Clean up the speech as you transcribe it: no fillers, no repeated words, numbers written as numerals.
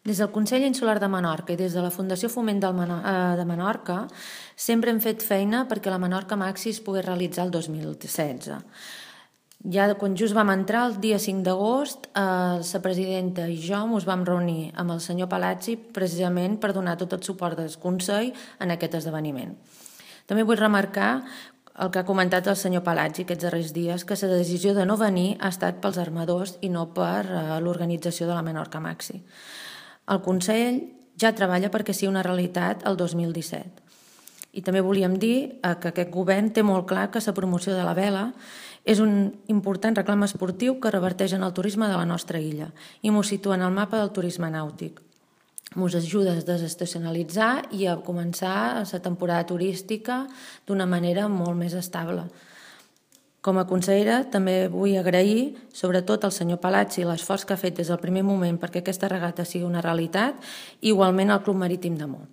Des del Consell Insular de Menorca i des de la Fundació Foment de Menorca sempre hem fet feina perquè la Menorca Maxi es pogués realitzar el 2016. Ja quan just vam entrar, el dia 5 d'agost, la presidenta i jo ens vam reunir amb el senyor Palazzi precisament per donar tot el suport del Consell en aquest esdeveniment. També vull remarcar el que ha comentat el senyor Palazzi aquests darrers dies, que la decisió de no venir ha estat pels armadors i no per l'organització de la Menorca Maxi. El Consell ja treballa perquè sigui una realitat el 2017. I també volíem dir que aquest govern té molt clar que la promoció de la vela és un important reclam esportiu que reverteix en el turisme de la nostra illa i ens situa en el mapa del turisme nàutic. Ens ajuda a desestacionalitzar i a començar la temporada turística d'una manera molt més estable. Com a consellera també vull agrair sobretot al senyor Palazzi l'esforç que ha fet des del primer moment perquè aquesta regata sigui una realitat i igualment al Club Marítim de Mó.